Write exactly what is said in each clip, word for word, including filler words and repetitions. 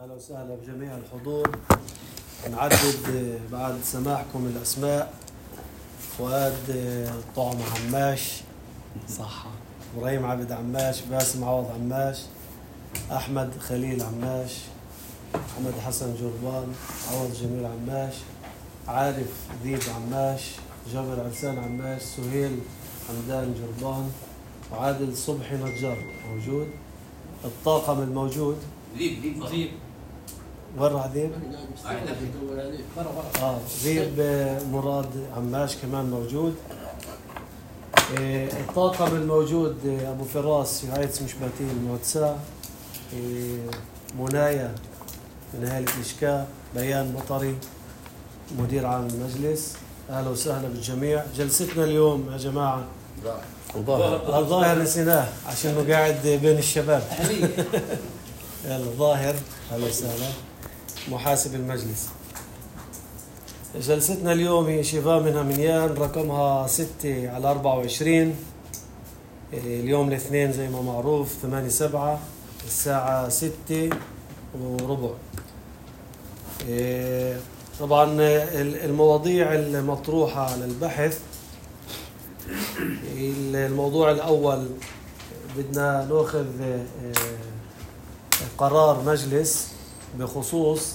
أهلا وسهلا بجميع الحضور. نعدد بعد سماعكم الأسماء: فؤاد طعم عماش، صح، إبراهيم عبد عماش، باسم عوض عماش، أحمد خليل عماش، محمد حسن جربان، عوض جميل عماش، عارف ذيب عماش، جابر عرسان عماش، سهيل حمدان جربان، وعادل صبحي نجار موجود. الطاقم الموجود ذيب ذيب ذيب ورا ذيب اه ذيب مراد عماش كمان موجود. إيه الطاقم الموجود: ابو فراس يعيد مشباتين الموتسا، إيه منايا من اهالي الاشكاء، بيان مطري مدير عام المجلس. اهلا وسهلا بالجميع. جلستنا اليوم يا جماعه ظاهر الظاهر نسيناه عشان قاعد بين الشباب. يلا ظاهر، اهلا وسهلا، محاسب المجلس. جلستنا اليوم هي شفاء من هميان رقمها ستة على أربعة وعشرين. اليوم الاثنين زي ما معروف ثمانية سبعة الساعة ستة وربع. طبعا المواضيع المطروحة على البحث: الموضوع الأول بدنا نأخذ قرار مجلس بخصوص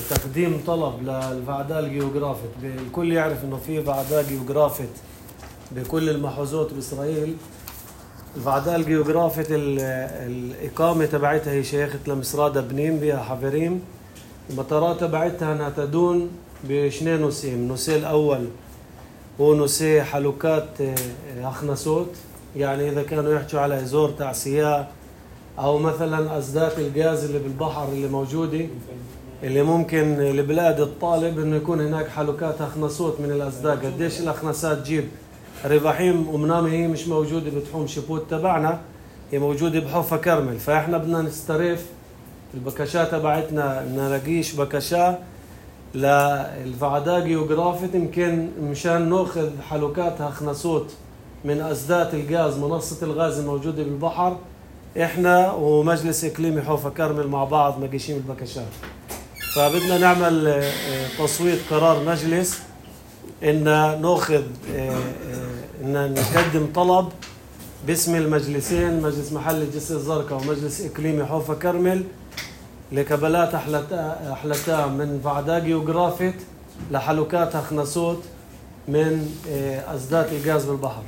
تقديم طلب للفعداء الجيوغرافيت. الكل يعرف انه في فعداء جيوغرافيت بكل المحوزات بإسرائيل. الفعداء الجيوغرافيت الإقامة تبعتها هي شيخة لمصرادة بنين بها حفريم. المطارات تبعتها انها تدون بشنين نسيم. النسي الأول هو نسي حلوكات أخنسوت، يعني إذا كانوا يحكوا على إزور تعسياء أو مثلا أسدات الغاز اللي بالبحر اللي موجودة، اللي ممكن لبلاد الطالب إنه يكون هناك حلوكات أخنسوت من الأسداء. قديش الأخنسات تجيب رفاحيم ومنامة هي مش موجودة بتحوم شبوت تبعنا، هي موجودة بحوفة كرمل. فإحنا بدنا نسترف البكشات تبعتنا، نلاقيش بكشة للفعداء جيوغرافيت يمكن مشان نأخذ حلوكات أخنسوت من أسدات الغاز، منصة الغاز الموجودة بالبحر. إحنا ومجلس إقليمي حوفة كرمل مع بعض مقيشين البكشات. فبدنا نعمل تصويت قرار مجلس إن نأخذ إن نقدم طلب باسم المجلسين، مجلس محلي جسر الزرقاء ومجلس إقليمي حوفة كرمل، لكبلات أحلتها من فعداء جيوغرافيت لحلوكات أخنسوت من أسدات الغاز بالبحر.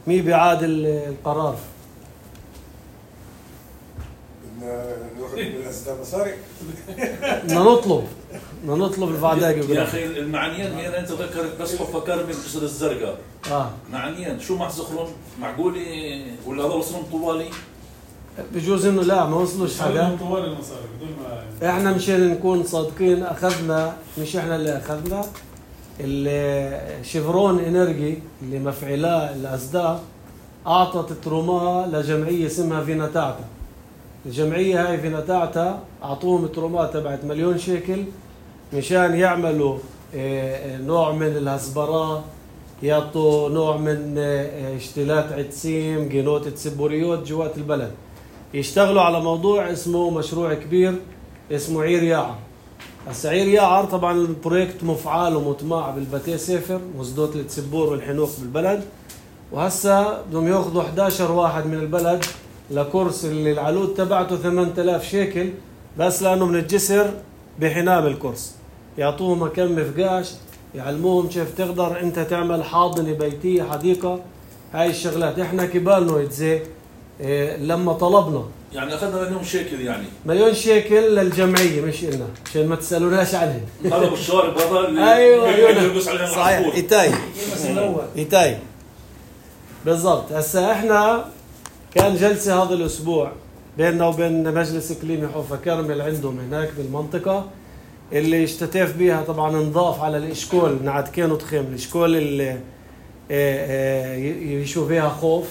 مين بيعاد القرار؟ بدنا نطلب بدنا نطلب الفعداء جيوغرافيت. يا أخي المعنيين هي أنت ذكرت بس حوفة كرمل جسر الزرقاء. آه معنيين شو محزخرون معقولة ولا هذا وصلهم طوالي؟ بجوز انه لا ما وصلوش حدا. احنا مشان نكون صادقين اخذنا، مش احنا اللي اخذنا، الشيفرون انرجي اللي مفعلاه الاسداء اعطت تروما لجمعيه اسمها فيناتاعتا. الجمعيه هاي فيناتاعتا اعطوهم ترومات تبعت مليون شيكل مشان يعملوا نوع من الهسبرة، يعطوا نوع من اشتلات عدسيم، جينوت تسبوريوت جوات البلد. يشتغلوا على موضوع اسمه مشروع كبير اسمه عير يعر. هسا عير يعر طبعا البروجكت مفعال ومطمع بالبتي سفر وزدوت التسبور والحنوق بالبلد، وهسا بدهم ياخذوا إحدى عشر واحد من البلد لكورس اللي العلود تبعته ثمانية آلاف شيكل بس لانه من الجسر بحنام الكورس. يعطوهم مكان مفقاش، يعلموهم كيف تقدر انت تعمل حاضنه بيتيه حديقه. هاي الشغلات احنا كبالنا يتزي إيه لما طلبنا، يعني اخذنا مليون شيكل، يعني مليون شيكل للجمعيه مش إلنا عشان ما تسالوناش عنهم. هذا بالشارب هذا اللي ايوه ايوه صحيح. ايتاي ايتاي بالضبط. هسا احنا كان جلسه هذا الاسبوع بيننا وبين مجلس اقليمي حوفة كرمل عندهم هناك بالمنطقه، اللي اشتتف بيها طبعا انضاف على الاشكول نعد كانوا تخيم الاشكول اللي يشوف فيها خوف.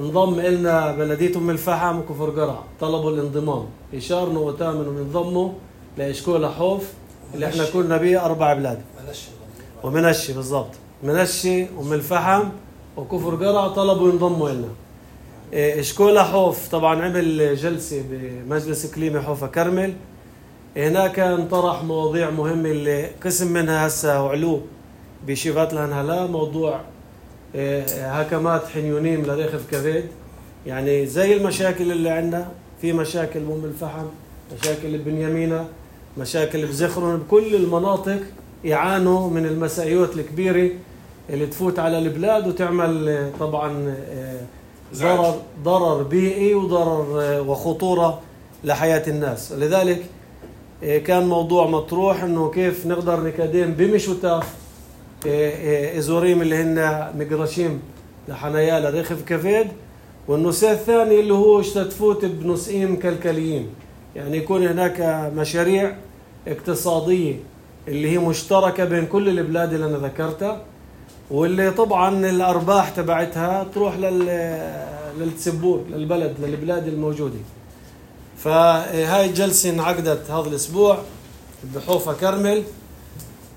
انضم إلنا بلدية أم الفحم وكفر قرع، طلبوا الانضمام، يشارنوا وتامنوا ينضموا لإشكول حوف اللي احنا كنا بيه أربع بلاد. ومنشي بالضبط، منشي أم الفحم وكفر قرع طلبوا ينضموا إلنا. اشكولا حوف طبعا عمل جلسة بمجلس إقليمي حوفا كرمل. هناك انطرح مواضيع مهمة اللي قسم منها هسه وعلو بشيفات الهنهلا، موضوع هكمات حنيونيم لريخف كبد. يعني زي المشاكل اللي عندنا، في مشاكل بأم الفحم، مشاكل ببنيامينا، مشاكل بزخرون، بكل المناطق يعانوا من المسائيات الكبيرة اللي تفوت على البلاد وتعمل طبعا ضرر ضرر بيئي وضرر وخطورة لحياة الناس. لذلك كان موضوع مطروح انه كيف نقدر نقدم بمشوتاف ازوريم اللي هن مقرشيم لحنايا لريخف كفيد، والنساء الثاني اللي هو اشتتفوت بنسئين كلكليين، يعني يكون هناك مشاريع اقتصادية اللي هي مشتركة بين كل البلاد اللي أنا ذكرتها، واللي طبعا الأرباح تبعتها تروح للتسبور للبلد للبلاد الموجودة. فهاي الجلسة انعقدت هذا الأسبوع بحوفا كرمل.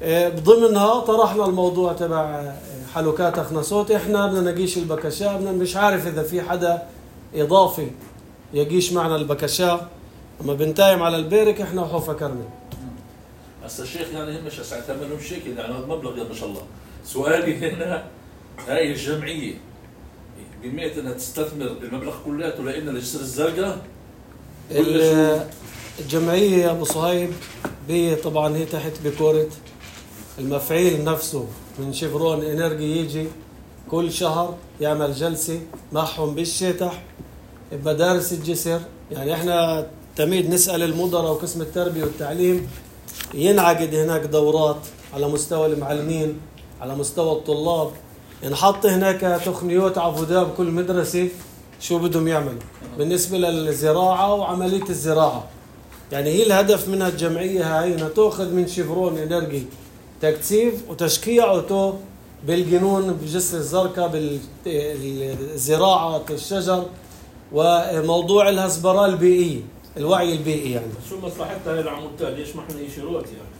بضمنها طرحنا الموضوع تبع حلوكات أخنصوت. إحنا بدنا نقيش البكشاء، بدنا مش عارف إذا في حدا إضافي يقيش معنا البكشاء، أما بنتايم على البيرك إحنا وحوفا كرمل. هسا الشيخ يعني هم مش تعملهم شكل يعني هذا مبلغ ما شاء الله. سؤالي هنا، هاي الجمعية بمئة انها تستثمر المبلغ كلياته لان الجسر الزرقاء؟ الجمعية يا ابو صهيب هي طبعا هي تحت بكورة المفعيل نفسه من شيفرون انرجي، يجي كل شهر يعمل جلسة معهم بالشتح بمدارس الجسر. يعني احنا تميد نسأل المدراء وقسم التربية والتعليم، ينعقد هناك دورات على مستوى المعلمين، على مستوى الطلاب، ينحط هناك تقنيات عفودة بكل مدرسة شو بدهم يعملوا بالنسبة للزراعة وعملية الزراعة. يعني هي الهدف منها الجمعية هاي انها تأخذ من شيفرون انرجي تكثيف وتشكيعه بالجنون بجسر الزرقاء بالزراعة الشجر وموضوع الهسبرة البيئية، الوعي البيئي. يعني شو مصلحتها هاي العمودات؟ ليش ما احنا يشيروت يعني؟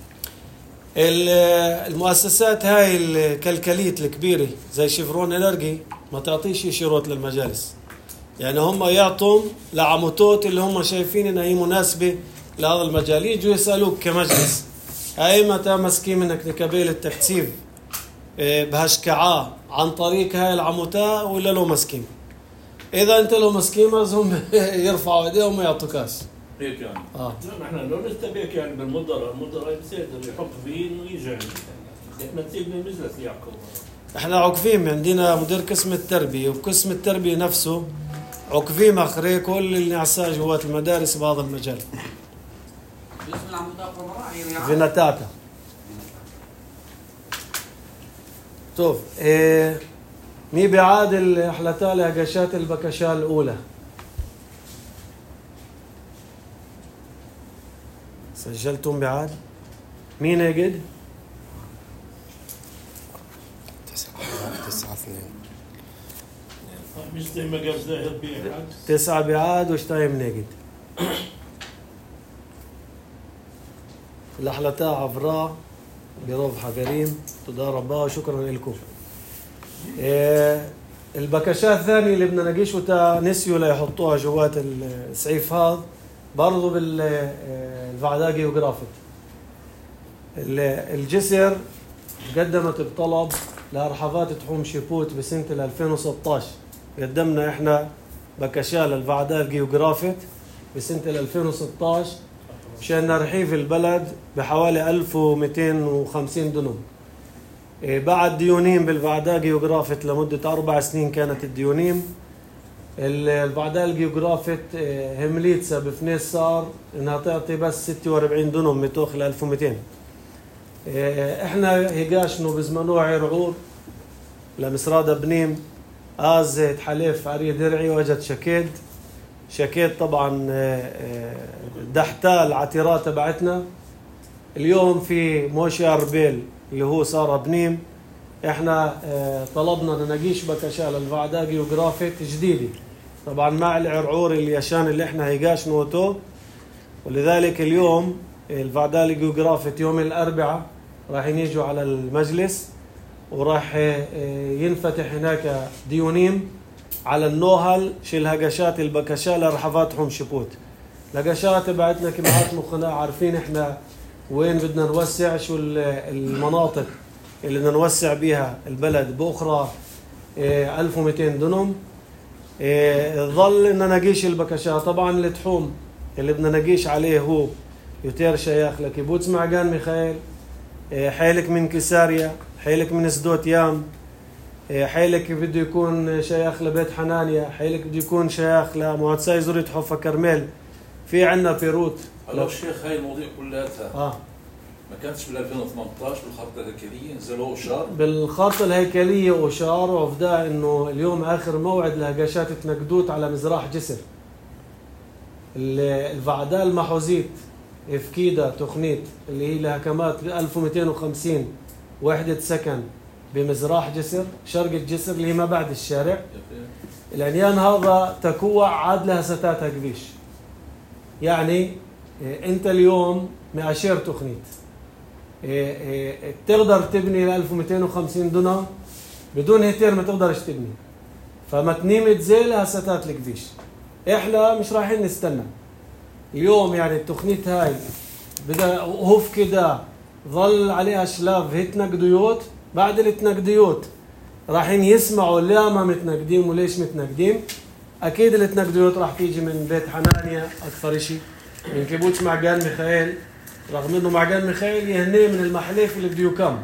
المؤسسات هاي الكلكليت الكبيرة زي شيفرون انرجي ما تعطيش يشيروت للمجالس، يعني هم يعطوا لعموتات اللي هم شايفين انها هي مناسبة لهذا المجال، يجوا يسألوك كمجلس هاي متى مسكين منك نكبيل التكثيف بهشكعاه عن طريق هاي العموتة ولا لو مسكين. إذا أنت لو مسكين هم يرفعوا ايديهم وما يعطوكاش هيك يعني. اه لا احنا لو نستبيك يعني بالمدراء، المدراء بيصير يحط فين ويجي عندنا، احنا تسيبنا المجلس يعقوب. احنا عقفين، عندنا مدير قسم التربية، وقسم التربية نفسه عقفين اخري كل اللي نعساه جوات المدارس بهذا المجال. باسم العمودات والمراعي فيناتاتا. طيب ايه مي بعاد الحلتال هجشات البكشاء الأولى سجلتم بعاد؟ مين يجد؟ تسعة تسعة اثنين مش زي ما قال زاهر بعاد. تسعة بعاد وشتايم نجد. الأحلتا عفراء بروف حقريم تضاربا وشكرا لكم. إيه البكشات الثانية اللي بدنا نقيش وتا نسيوا ليحطوها جوات السعيف هذا برضو بالفعداء جيوغرافيك. الجسر قدمت بطلب لأرحفات تحوم شيبوت بسنة ألفين وستة عشر، قدمنا احنا بكشاء للفعداء الجيوغرافيك بسنة ألفين وستة عشر مشان نرحيف البلد بحوالي ألف ومئتين وخمسين دنم. بعد ديونيم بالفعداء جيوغرافيت لمدة أربع سنين كانت الديونيم. الفعداء الجيوغرافيت همليتسا بفنيس صار انها تعطي بس ستة وأربعين دنم متوخ ل ألف ومئتين. احنا هيقاشنو بزمنو عرعور لمسرادة بنيم آز تحليف عري درعي وجد شكيد شكيد طبعا دحتا العتيرات تبعتنا. اليوم في موشي أربيل اللي هو صار بنيم، احنا طلبنا نناقيش بكشاء للفعداء جيوغرافيك جديدة طبعا مع العرعور اليشان اللي احنا هيقاش نوتو. ولذلك اليوم الفعداء الجيوغرافيك يوم الأربعاء راح يجوا على المجلس وراح ينفتح هناك ديونيم على النوهل شيل هقشات البكشة لرحفاتهم شبوت. لقشات بعتنا كمعات مخنا عارفين احنا وين بدنا نوسع، شو المناطق اللي بدنا نوسع بيها البلد بأخرى ألف ومئتين دنم. ظل إن نقيش البكشة. طبعا التحوم اللي بدنا نقيش عليه هو يوتير شيخ لكيبوتس معجان ميخائيل، حيلك من كساريا، حيلك من سدوت يام، حيلك بده يكون شيخ لبيت حنانيا، حيلك بده يكون شيخ لمعتساي زورية حفا كرميل. في عنا بيروت. لو الشيخ هاي المواضيع كلها آه. ما كانتش بال ألفين وثمانية عشر بالخارطة الهيكلية نزلوا أشار؟ بالخارطة الهيكلية أشار، وفدا إنه اليوم آخر موعد لهقاشات تنقدوت على مزراح جسر. الفعداء المحوزيت إفكيدا تخنيت اللي هي لها كمات ألف ومئتين وخمسين وحدة سكن بمزراح جسر شرق الجسر اللي هي ما بعد الشارع. العنيان هذا تكوع عاد لها ستاتها كبيش. يعني انت اليوم معاشير تخنيت تقدر تبني ل ألف ومئتين وخمسين دونم بدون هيتير، ما تقدرش تبني. فمتنيمة زي لها ستات الكبيش. احنا مش رايحين نستنى اليوم. يعني التخنيت هاي بدأ هوف كده ظل عليها شلاف هي تنقديوت. بعد التنقديوت رايحين يسمعوا لا ما متنقدين وليش متنقدين. اكيد التنقديوت راح تيجي من بيت حنانيا اكثر شيء، من كيبوتش معجان ميخائيل، رغم انه معجان ميخائيل يهنيه من المحليف اللي بده يكم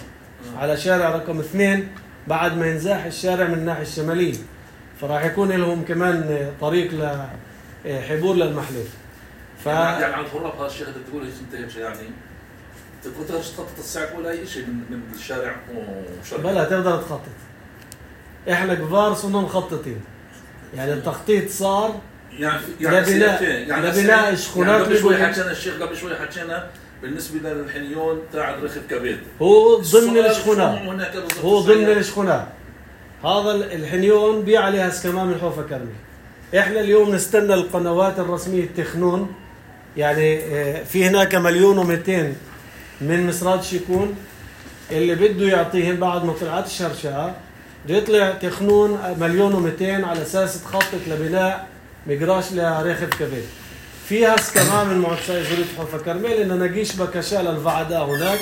على شارع رقم اثنين بعد ما ينزاح الشارع من الناحية الشمالية، فراح يكون لهم كمان طريق لحبور للمحليف. ف يعني على الغراب هذا الشيء اللي تقول انت يعني تقدر تخطط الساعة ولا اي شيء من من الشارع وشارع بلا تقدر تخطط. احنا كبار صرنا مخططين. يعني التخطيط صار يعني يعني لبناء يعني لبناء شخونات. يعني قبل شوي حكينا الشيخ قبل شوي حكينا بالنسبة للحنيون تاع رخف كبيد هو ضمن الشخونات، هو ضمن الشخونات. هذا الحنيون بيع عليها كمان من حوفا كرمي. احنا اليوم نستنى القنوات الرسمية التخنون. يعني في هناك مليون ومئتين من مسرات شيكون اللي بده يعطيهم بعد ما طلعت الشرشاء بده يطلع تخنون مليون ومئتين على اساس تخطط لبناء مقراش لرخف كبير. فيها كمان من معتساي زورية حوفا كرميل إن نقيش بكشا للفعداء هناك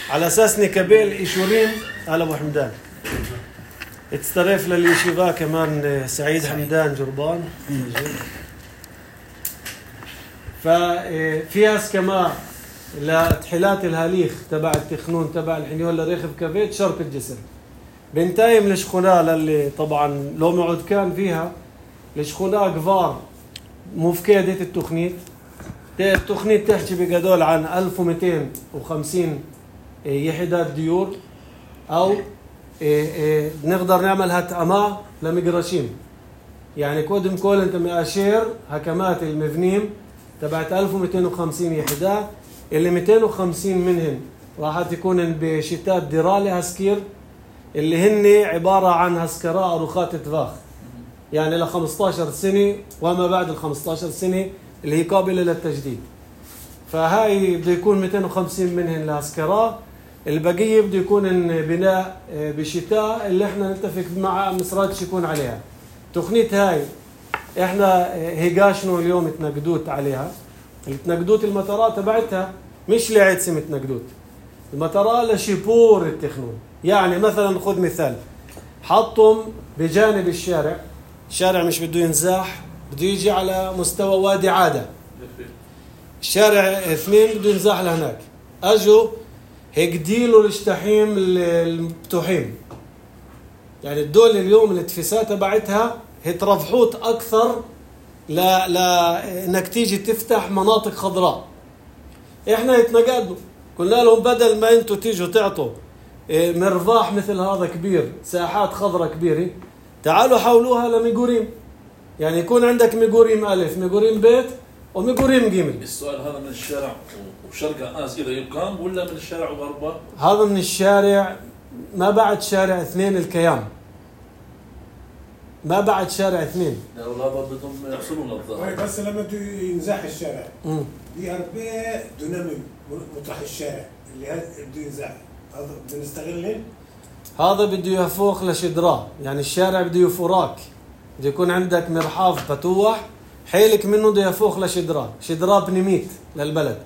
على اساس نكبيل إيشورين. هلا ابو حمدان اتسترف لليشيفا كمان سعيد حمدان جربان. ففيها كمان لتحلات الهاليخ تبع التخنون تبع الحنيون لريخف كبيت شرق الجسر. بنتايم لشخونة للي طبعا لو معود كان فيها لشخونة كبار مفكدة التخنيت. التخنيت تحكي بقدول عن ألف ومئتين وخمسين يحدات ديور، أو نقدر نعمل هتأما لمقرشين. يعني كودم كول انت مأشير هكمات المبنيم تبعت ألف ومئتين وخمسين يحدات اللي مئتين وخمسين منهن راح تكون بشتات ديرالي هسكير اللي هن عبارة عن هسكراء أروخات تفاخ، يعني ل خمسة عشر سنة وما بعد ال خمسة عشر سنة اللي هي قابلة للتجديد. فهاي بده يكون مئتين وخمسين منهن لهسكراء، البقية بده يكون بناء بشتاء اللي احنا نتفق مع مسرات يكون عليها. تخنيت هاي احنا هيقاشنو اليوم تنقدوت عليها. التنقدوت المطارات تبعتها مش لعيد سمة تنقدوت، المطارات لشبور التخنون. يعني مثلا خذ مثال، حطهم بجانب الشارع، الشارع مش بده ينزاح، بده يجي على مستوى وادي عادة، الشارع اثنين بده ينزاح لهناك. اجوا هيك ديلوا الاشتحيم المفتوحين. يعني الدول اليوم الاتفاسات تبعتها هي ترفحوت اكثر لا لا انك تيجي تفتح مناطق خضراء. احنا يتنقدوا قلنا لهم بدل ما انتوا تيجوا تعطوا مرفاح مثل هذا كبير، ساحات خضراء كبيرة، تعالوا حولوها لميقوريم. يعني يكون عندك ميقوريم ألف، ميقوريم بيت، وميقوريم جيمل. السؤال هذا من الشارع وشرق آس إذا يقام ولا من الشارع وغربه؟ هذا من الشارع ما بعد شارع اثنين الكيام، ما بعد شارع اثنين. لا والله بدهم يحصلون الظاهر. بس لما بده ينزاح الشارع بأربع دونم مطرح الشارع اللي بده ينزاح، هذا بده نستغله. هذا بده يفوق لشدراه، يعني الشارع بده يفوراك بده يكون عندك مرحاض بتوح حيلك منه بده يفوخ لشدرا شدرا بنميت للبلد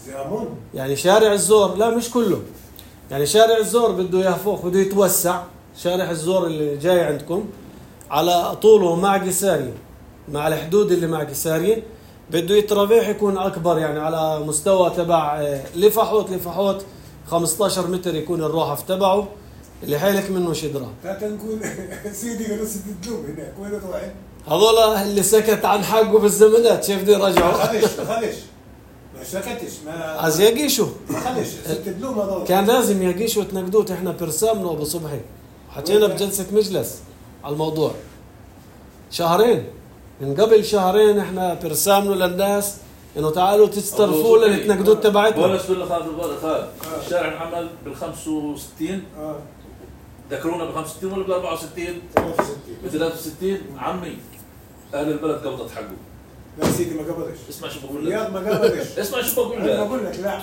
زامون يعني شارع الزور لا مش كله يعني شارع الزور بده يفوخ بده يتوسع شارع الزور اللي جاي عندكم على طوله مع قسارية مع الحدود اللي مع قسارية بده يترافيح يكون أكبر يعني على مستوى تبع لفحوت لفحوت خمسة عشر متر يكون الروحف تبعه اللي حيلك منه شدرا. تعال نقول سيدي قالوا سيدي الدوم هناك وين روحي؟ هذول اللي سكت عن حقه بالزمانات شايف دي رجعوا. ما خلش ما خلش ما سكتش ما عايز يقيشوا. ما خلش ست الدوم هذول. كان لازم يقيشوا وتنقدوت احنا برسامنا وابو صبحي. حكينا بجلسة مجلس على الموضوع. شهرين من قبل شهرين احنا برسامنا للناس انه تعالوا تسترفوا للتنقدوت تبعتنا. بولس ولا خالد ولا خالد الشارع انعمل بال خمسة وستين اه ذكرونا ب خمسة وستين ولا ب أربعة وستين؟ ثلاثة وستين ب ثلاثة وستين عمي اهل البلد قبضت حقه. لا سيدي ما قبضش. اسمع شو بقول لك. رياض ما قبضش. اسمع شو بقول انا لك. بقول لك لا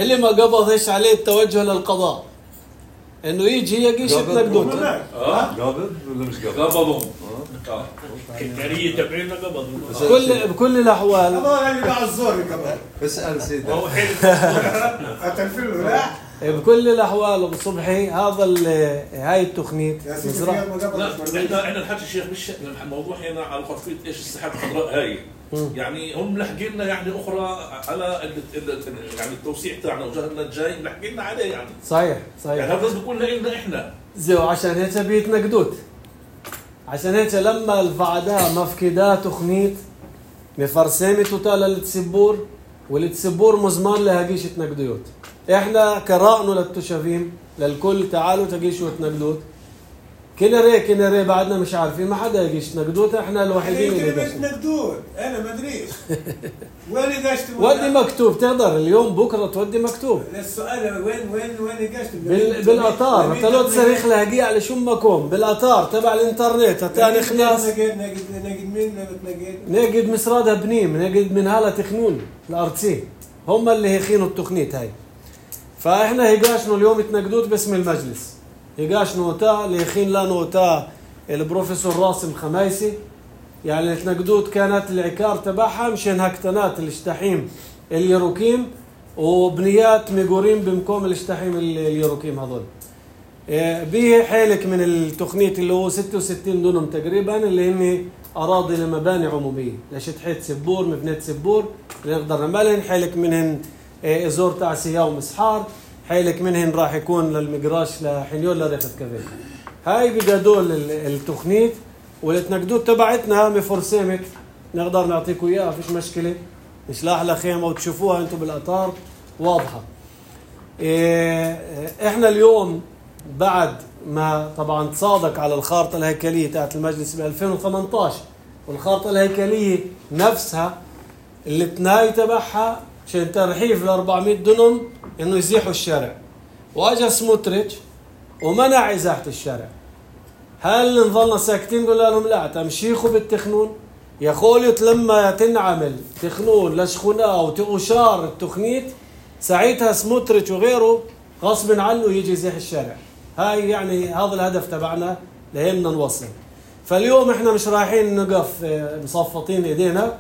اللي ما قبضش عليه التوجه للقضاء انه يجي يقيش التنقدوت. اه قابض ولا مش قابض؟ قبضوا. اه كاريه تبعينا قبض بكل بكل الاحوال هذول اللي باع الزور قبض. اسال سيدي. هو حلو اتنفل له لا بكل الاحوال ابو صبحي هذا هاي التخنيت يا سيدي مزرعة. رياض ما لا قبضش. احنا احنا الحكي الشيخ مش الموضوع هنا على خلفيه ايش السحاب الخضراء هاي يعني هم ملحقين لنا يعني اخرى على ال ال يعني التوسيع تاعنا وجهنا الجاي ملحقين لنا عليه يعني صحيح يعني صحيح هذا لازم يكون لنا احنا زي عشان هيك بيتنقدوت عشان هيك لما الفعداء مفكدا تخنيت مفرسمة توتال للتسبور والتسبور مزمان لهاجيش تنقدوت احنا كرأنه للتشافين للكل تعالوا تجيشوا تنقدوت كنا ري كنا ري بعدنا مش عارفين ما حدا يجيش تنقدوت احنا الوحيدين اللي اللي داشين نقدود انا ما ادريش وين قاشت ودي مكتوب تقدر اليوم بكره تودي مكتوب السؤال وين وين وين قاشت بال... بالاطار انت لو تصريخ لاقي على شو مكون بالاطار تبع الانترنت تاني خلاص نجد نجد نجد مين نجد نجد مسرادها بنيم نجد من هلا تخنون الارتسي هم اللي هيخينوا التخنيت هاي فاحنا هيقاشنوا اليوم تنقدوت باسم المجلس هيقاشنوا تا اللي يخين لنا تا البروفيسور راسم خمايسي يعني تنقدوت كانت العكار تبعها مشان هكتنات الاشتحيم اليروكيم وبنيات ميغورين بمكوم الاشتحيم اليروكيم هذول به حيلك من التخنيت اللي هو ستة وستين دونم تقريبا اللي هم أراضي لمباني عمومية لشتحيت سبور مبنية سبور اللي نقدر نعملهن حيلك منهن ازور تعسية ومسحار حيلك منهن راح يكون للمقراش لحنيول لريخة كافيه هاي بجدول التخنيت والتنقدوت تبعتنا مفرسمت نقدر نعطيكم اياها فيش مشكلة نشلاح لخيمة وتشوفوها انتم بالاطار واضحة احنا اليوم بعد ما طبعا تصادق على الخارطة الهيكلية تاعت المجلس ب ألفين وثمانية عشر والخارطة الهيكلية نفسها اللي تناي تبعها عشان ترحيف ل أربعمية دنم انه يزيحوا الشارع واجا سموتريتش ومنع ازاحة الشارع هل نظلنا ساكتين قلنا لهم لا تمشيخوا بالتخنون يا خولت لما تنعمل تخنون لشخناء وتقشار التخنيت ساعتها سموتريتش وغيره غصب عنه يجي يزيح الشارع هاي يعني هذا الهدف تبعنا لهمنا نوصل فاليوم احنا مش رايحين نقف مصفطين ايدينا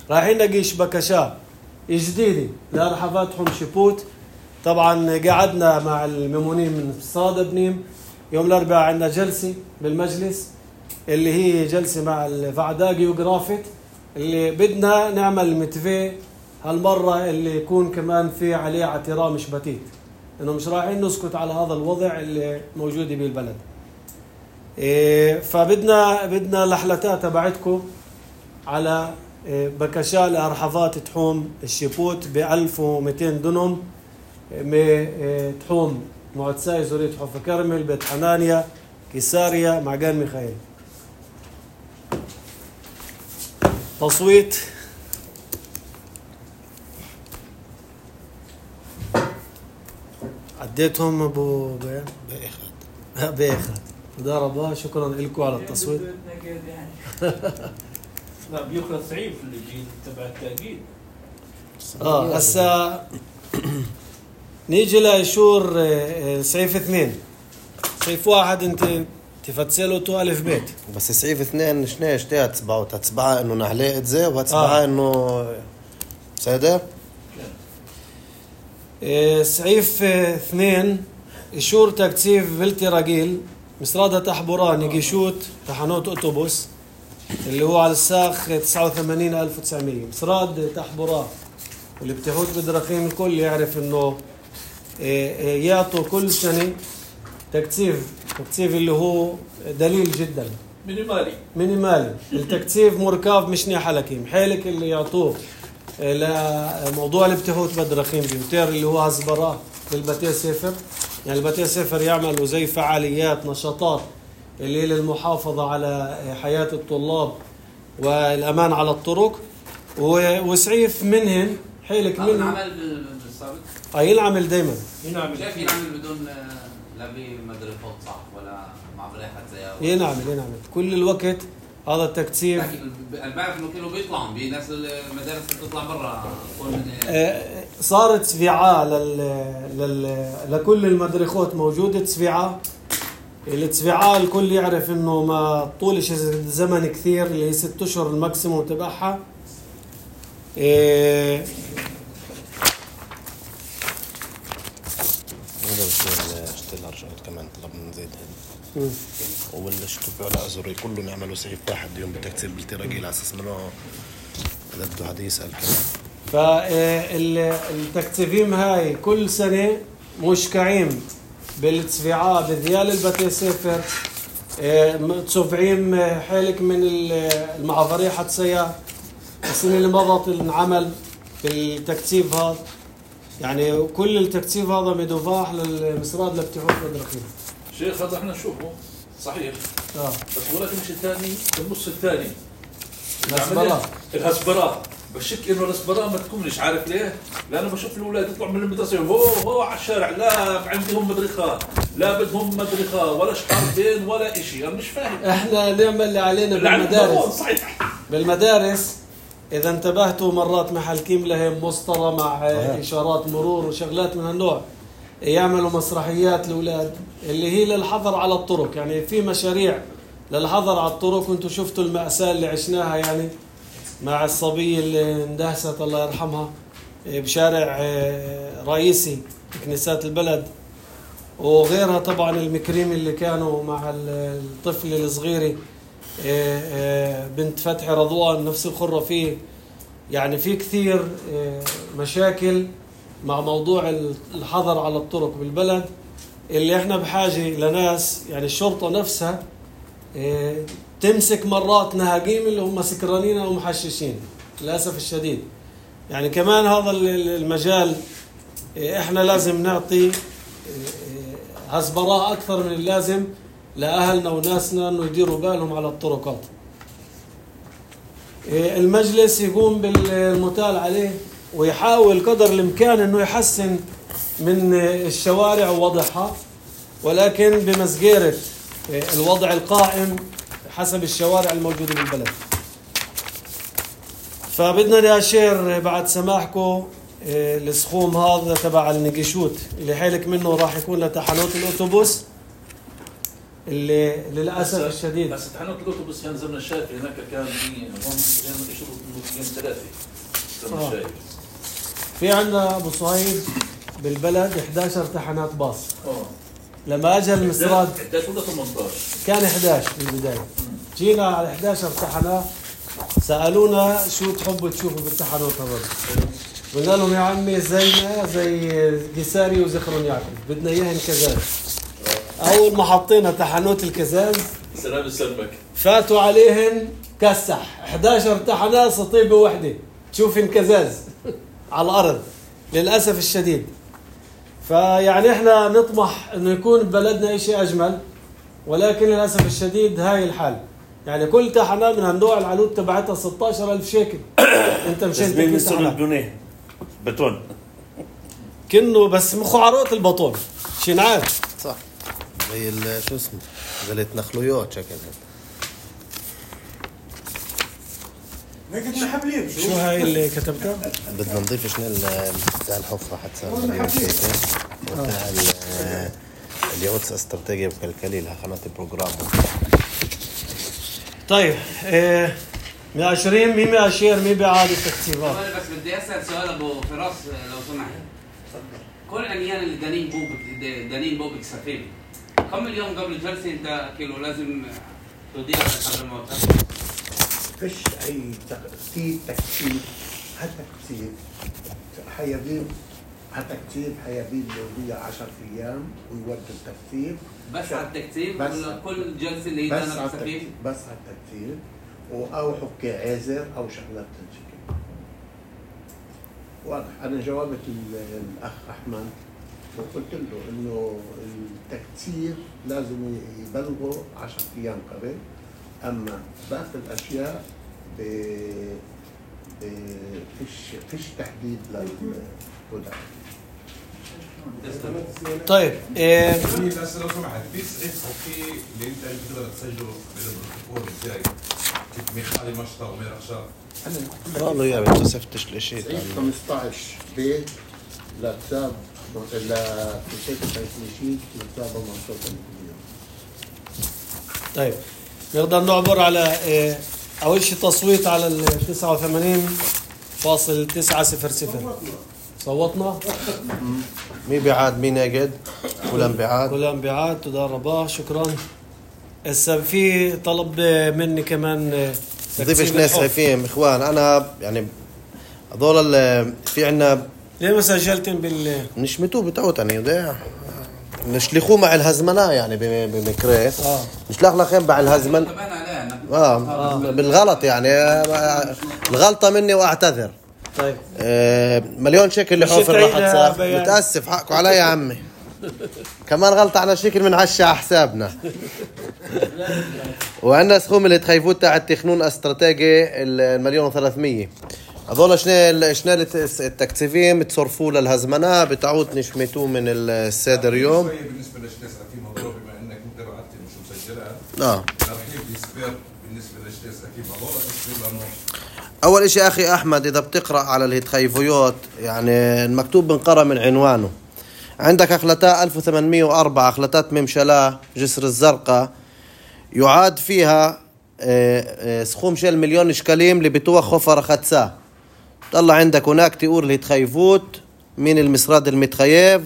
رايحين نقيش بكشات جديدة لرحباتهم شبوت طبعا قعدنا مع الممونين من صادة بنيم يوم الأربعاء عندنا جلسة بالمجلس اللي هي جلسة مع الفعداء جيوغرافيت اللي بدنا نعمل متفق هالمرة اللي يكون كمان في عليه اعتراف مش بتيت انه مش رايحين نسكت على هذا الوضع اللي موجود بالبلد إيه فبدنا بدنا لحلتات تبعتكم على بكشاء لأرحفات تحوم الشيبوت ب ألف ومئتين دنم تحوم معتساي زورية حوفة كرمل بيت حنانيا كيساريا معقان ميخائيل تصويت عديتهم ابو باخد باخد ضربه شكرا لكم على التصويت لا بيخلص صعيب اللي يجي تبع التأكيد اه هسا نيجي لشور صعيف اثنين صعيف واحد انت تفتسلوا تو ألف بيت. بس صعيف اثنين شنو شتي هتسبعوا هتسبعها إنه نحليقة زي وهتسبعها آه. إنه سادة. إيه صعيف اه اثنين إشور تكتيف بلتي راجيل مصرادة تحبوران يجيشوت تحنوت أوتوبوس اللي هو على الساخ تسعة وثمانين ألف وتسعمية مصراد تحبوران واللي بتحوت بدراخيم الكل يعرف إنه إيه إيه يعطوا كل سنة تكتيف تكتيف اللي هو دليل جدا مينيمالي مينيمالي. التكتيف مركب مشني حلكيم حالك اللي يعطوه لموضوع الابتهوت بدرخيم بيوتير اللي هو هزبراه للبتي سفر. يعني البتي سفر يعملوا زي فعاليات نشاطات اللي هي للمحافظة على حياة الطلاب والأمان على الطرق وسعيف منهن حالك هذا منهن نعمل بالسابق أي ينعمل دايما ينعمل كيف ينعمل بدون لا بمدرسات صح ولا مع بريحة زي ينعمل ينعمل كل الوقت. هذا التكتيف انا بعرف انه كانوا بيطلعوا بناس المدارس بتطلع برا آه، صارت تسفيعة لل... لل... لكل المدرخات موجودة تسفيعة. التسفيعة الكل يعرف انه ما طولش الزمن كثير اللي هي ست اشهر الماكسيموم تبعها. إيه هذا بصير اشتري الارجعات كمان طلبنا نزيد هذا ولا اشتفوا على ازوري كلهم يعملوا سيف واحد يوم بتكتير بالتراجيل على اساس انه هذا بده حدا يسال كمان. فالتكتيفيم هاي كل سنة مشكعين بالتسفيعات بذيال البتي سفر تصفعين حالك من المعافرية حتى سيا السنة اللي مضت انعمل بالتكتيف هذا. يعني كل التكتيف هذا مدفاح للمسراد لابتحوث بدرخيم. شيخ هذا احنا نشوفه صحيح آه. بس ولكن مش الثاني النص الثاني الهسبراه الهسبراه بشك انه الهسبراه ما تكونش عارف ليه؟ لانه بشوف الاولاد يطلعوا من المدرسه هو هو على الشارع لا عندهم مدرخه لا بدهم مدرخه ولا شحارتين ولا شيء. انا مش فاهم. احنا نعمل اللي علينا بالمدارس. صحيح بالمدارس اذا انتبهتوا مرات محلكين لهم مسطره مع اشارات مرور وشغلات من هالنوع يعملوا مسرحيات الاولاد اللي هي للحظر على الطرق. يعني في مشاريع للحظر على الطرق وانتم شفتوا المأساة اللي عشناها يعني مع الصبية اللي اندهست الله يرحمها بشارع رئيسي كنيسات البلد وغيرها. طبعا المكريم اللي كانوا مع الطفل الصغيري بنت فتحي رضوان نفس الخرة فيه. يعني في كثير مشاكل مع موضوع الحظر على الطرق بالبلد اللي احنا بحاجة لناس يعني الشرطة نفسها تمسك مرات نهاجيم اللي هم سكرانين أو محششين للأسف الشديد. يعني كمان هذا المجال احنا لازم نعطي هسبراء أكثر من اللازم لأهلنا وناسنا أنه يديروا بالهم على الطرقات. المجلس يقوم بالمتال عليه ويحاول قدر الإمكان أنه يحسن من الشوارع ووضعها ولكن بمسجرة الوضع القائم حسب الشوارع الموجودة بالبلد. فبدنا نأشير بعد سماحكم السخوم هذا تبع النقشوت اللي حالك منه راح يكون لتحنوت الأوتوبوس اللي للأسف الشديد بس تحنوت الأوتوبوس كان زمن الشايف هناك كان في هم يشوفوا يوم ثلاثة زمن آه. الشايف. في عندنا أبو صهيب بالبلد إحدى عشرة تحنات باص. اه لما أجى المسراد إحدى عشر ولا ثمانية عشر؟ كان إحدى عشر في البداية. جينا على إحدى عشر تحنات سألونا شو تحبوا تشوفوا بالتحنوت هذول. قلنا لهم يا عمي زينا زي قساري وزخرون يعقوب بدنا إياهن كزاز. أول ما حطينا تحنوت الكزاز سلام السلمك فاتوا عليهن كسح إحدى عشر تحنات سطيبة وحدة تشوفن كزاز على الأرض للأسف الشديد. فيعني إحنا نطمح إنه يكون ببلدنا إشي أجمل ولكن للأسف الشديد هاي الحال. يعني كل تحنة من هالنوع العلود تبعتها ستة عشر ألف شيكل. أنت مشان تكون تحنة بدونه بتون كنه بس مخعرات البطون شنعان صح زي شو اسمه زي التنخلويات شكلها. لكن محبلين شو هاي اللي كتبتها؟ بدنا نضيف شنو بتاع الحفرة حتى بتاع اليهود استراتيجية بكالكليل ها قناة البروجرام. طيب إيه مية وعشرين مين بأشير مين بيعاد التكتيفات؟ بس بدي اسال سؤال ابو فراس لو سمحت. كل عميان اللي دانين بوبك دانين بوبك سفينه كم اليوم قبل الجلسه انت كيلو لازم توديها على الموت؟ فيش اي في تكتيب هالتكتيب حيبين هالتكتيب حيبين له عشرة ايام ويودوا التكتيب بس على التكتيب بس ولا كل جلسه اللي بس يدانا على بسفينه؟ التكتيب بس على التكتيب او حكي عازر او شغلات تنشكل. واضح. انا جاوبت الاخ احمد وقلت له انه التكتيب لازم يبلغوا عشرة ايام قبل، اما باقي الاشياء ب ب فيش فيش تحديد للهدى. طيب إيه في بس لو سمحت في اسم في اللي انت بتقدر تسجله بالبروتوكول ازاي؟ كيف ميخالي مشطه ومير اخشاب. قالوا يا بنت سفتش الاشي صحيح خمسطعش بيت لكتاب لكتاب التنشيط لكتاب منصوص الكبير. طيب نقدر نعبر على إيه أول شيء تصويت على ال تسعة وثمانين فاصل تسعة صفر صفر. صوتنا؟ مين بيعاد مين ناقد؟ كلهم بيعاد. كلهم بيعاد. تدرباه. شكرا. هسه في طلب مني كمان ضيفش ناس خايفين اخوان. انا يعني هذول في عنا ليه ما سجلتن بال نشمتوه بتوتني ده نشلخوه مع الهزمنة يعني بمكريت اه نشلخ لخين مع الهزمن اه بالغلط يعني الغلطة مني واعتذر. طيب آه مليون شكل لحوفر راح تصاف. متأسف حقكوا علي يا عمي. كمان غلطة على شكل من عشا على حسابنا. وعندنا سخوم اللي تخيفوت تاع التخنون استراتيجي المليون وثلاثمية. هذول شنو شنو التكتيفين بتصرفوا للهزمنة بتعود نشمتوه من السادر يوم. بالنسبه للاشتاس اكيد موضوع بما انك انت بعت مش مسجلها. اه ترحيب يسبر بالنسبه للاشتاس اكيد هذول يسبر لانه اول شيء اخي احمد اذا بتقرا على الهتخيفيوت يعني المكتوب بنقرا من عنوانه. عندك اخلتاء ألف وثمانمية وأربعة اخلتات ممشلا جسر الزرقاء يعاد فيها سخوم شيل مليون شكاليم اللي بتوه خفر خدساه. طلع عندك هناك تقول الهتخيفوت من المسراد المتخيف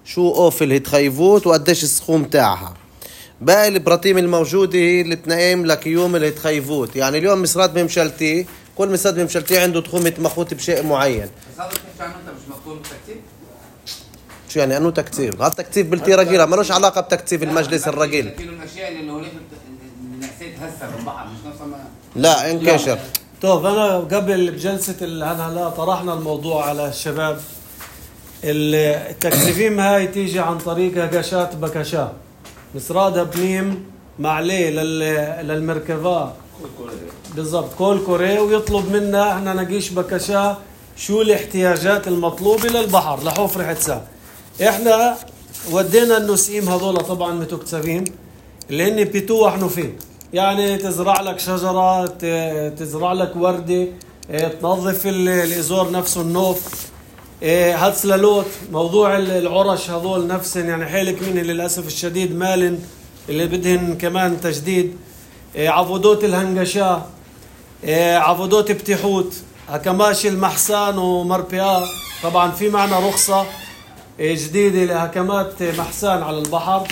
شو اوف الهتخيفوت وقديش السخوم تاعها. باقي البراطيم الموجوده هي اللي تنقيم لك يوم الهتخيفوت. يعني اليوم مسراد ممشلتي كل مسراد ممشلتي عنده تخوم مخوت بشيء معين. بس هذا بتحكي عنه انت مش مكتوب بالتكتيب؟ شو يعني انه تكتيف؟ هذا تكتيف بلتي رجيله مالوش علاقه بتكتيف المجلس الرجيل. لكن الاشياء اللي هو نسيت هسه بالبحر مش نفسها ما لا انكشر. طيب أنا قبل بجلسة الهلا طرحنا الموضوع على الشباب. التكتيفين هاي تيجي عن طريق هقاشات بكشا مسرادها بنيم معليه للمركبة بالضبط كل كوري ويطلب منا احنا نقيش بكشا شو الاحتياجات المطلوبة للبحر لحفر حتسا. احنا ودينا النسيم هذول طبعا متكتفين اللي هن بيتوح نفين يعني تزرع لك شجرة تزرع لك وردة تنظف الإزور نفسه النوف هاتسلالوت موضوع العرش هذول نفسهم يعني حيلك منه للأسف الشديد مالن اللي بدهن كمان تجديد عبودوت الهنجشاء عبودوت بتحوت هكماش المحسان ومربيا. طبعا في معنا رخصة جديدة لهكمات محسان على البحر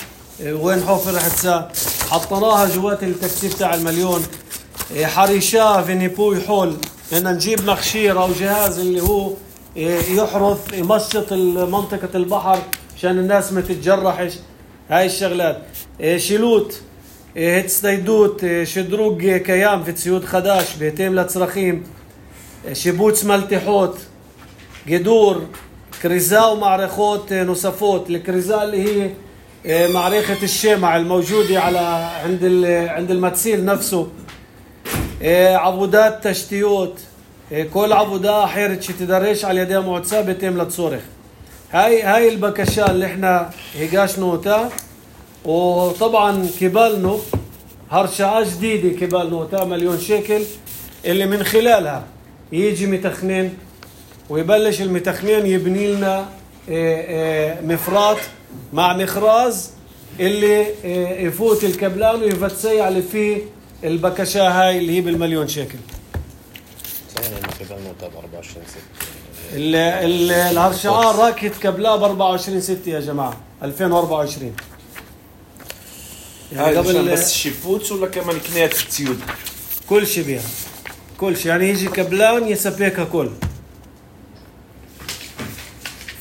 وين حفر حتسا حطناها جوات التكتيف تاع المليون. حريشة فينيبوي حول إن نجيب مخشير أو جهاز اللي هو يحرث يمشط منطقة البحر عشان الناس ما تتجرحش. هاي الشغلات شيلوت هتستيدوت شدروق كيام في تسيود خداش بيتم لتصرخيم شبوت ملتحوت قدور كريزا ومعرخوت نصفوت. الكريزا اللي هي معرخة الشمع الموجودة على عند عند المتسيل نفسه. عبودات تشتيوت كل عبودة حيرت تدريش على يدها معتسة بيتم لتصرخ. هاي هاي البكشة اللي احنا هيجاش نوتا. وطبعا كبالنو هرشة جديدة كبال نوتا مليون شيكل اللي من خلالها يجي متخنين ويبلش المتخنين يبني لنا مفرات مع مخراز اللي آه، يفوت الكبلان ويفتسي على فيه البكشة هاي اللي هي بالمليون شيكل. ال- ال- الهرشعان راكت كبلاه ب أربعة وعشرين ستة يا جماعة ألفين وأربعة وعشرين. هاي قبل بس شيفوتس ولا كمان كنات تسيود؟ كل شيء بيها، كل شيء يعني يجي كبلان يسبيكها كل.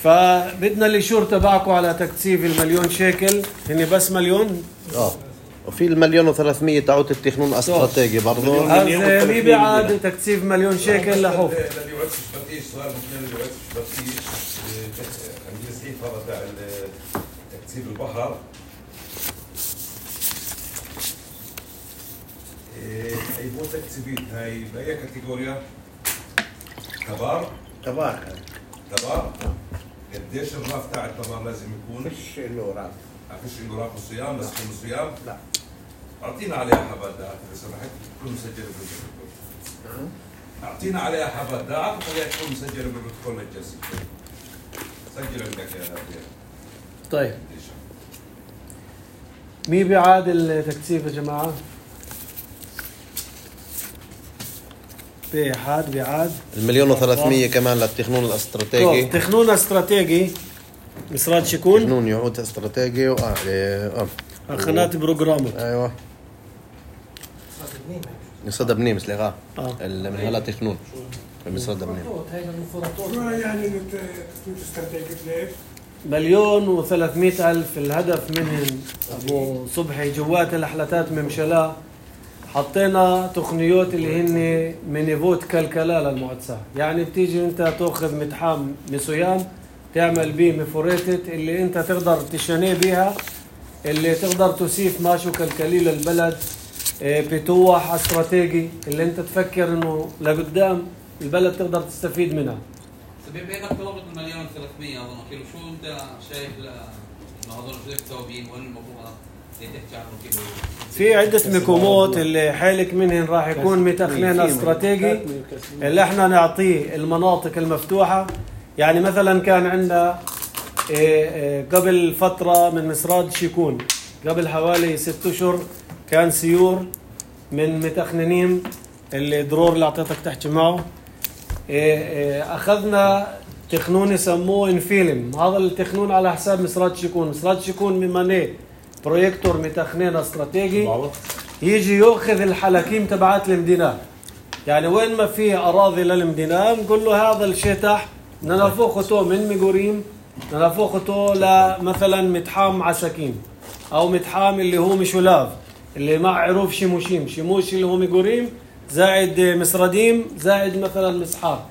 فبدنا الإشور تبعكم على تكثيف المليون شيكل، هني بس مليون. اه وفي المليون وثلاثمية تعود التخنون استراتيجي برضه. هذا مي بعد تكثيف مليون شيكل لحوف. الذي يعد شبكيش سؤال ممكن اللي يعد شبكيش عندي السعيد هذا تاع تكثيف البحر. اي مو تكثيفيت هاي باي كاتيجوريا؟ كبار؟ كبار كبار؟ قديش الراف تاع الكبار لازم يكون؟ فيش له راس. فيش له راف الصيام بس كل صيام؟ لا. اعطينا عليها حبات دعاء اذا سمحت تكون مسجله بالبروتوكول. اعطينا عليها حبات دعاء وخليها تكون مسجله بالبروتوكول الجلسه. سجل عندك يا هادي. طيب مي بيعاد التكثيف يا جماعة؟ بيحاد بيعاد المليون وثلاثمية كمان للتخنون الاستراتيجي. تخنون استراتيجي مصرات شكون؟ تخنون يعود استراتيجي و اه خنات بروجرامو. ايوه مصرد بنيم سلغا اه من هلا تخنون مصرد بنيم. ما يعني تكون استراتيجية ليش؟ مليون وثلاثمائة ألف. الهدف منهم أبو صبحي جوات الأحلتات ممشلا حطينا تقنيات اللي هن منيفوت كالكلا للمعدسة. يعني بتيجي انت تأخذ متحام مسويام تعمل بيه مفوريتت اللي انت تقدر تشنيه بيها، اللي تقدر تسيف ماشو كالكلي للبلد. بتوح استراتيجي اللي انت تفكر انه لقدام البلد تقدر تستفيد منها. بما انك طلبت المليون ثلاثمية اظن كيلو، شو انت شايف انه هذول شو التوابين وين المفروض تحكي عنه كيلو؟ في عدة مكومات اللي حالك منهن راح يكون متخلين استراتيجي اللي احنا نعطيه المناطق المفتوحة. يعني مثلا كان عندنا قبل فترة من مصراد شيكون قبل حوالي ست اشهر كان سيور من متخننين اللي درور اللي اعطيتك تحكي معه. اخذنا تخنون يسموه انفيلم. هذا التخنون على حساب مصراد شيكون. مصراد شيكون ممانيه بروجيكتور متخنين استراتيجي يجي ياخذ الحلاكيم تبعات المدينة. يعني وين ما في اراضي للمدينة نقول له هذا الشتح ننفخته من ميغوريم ننفخته لمثلا متحام عساكين او متحام اللي هو مشولاف اللي مع عروف شيموشيم شيموش اللي هو ميغوريم زائد مصرديم زائد مثلا مسحار.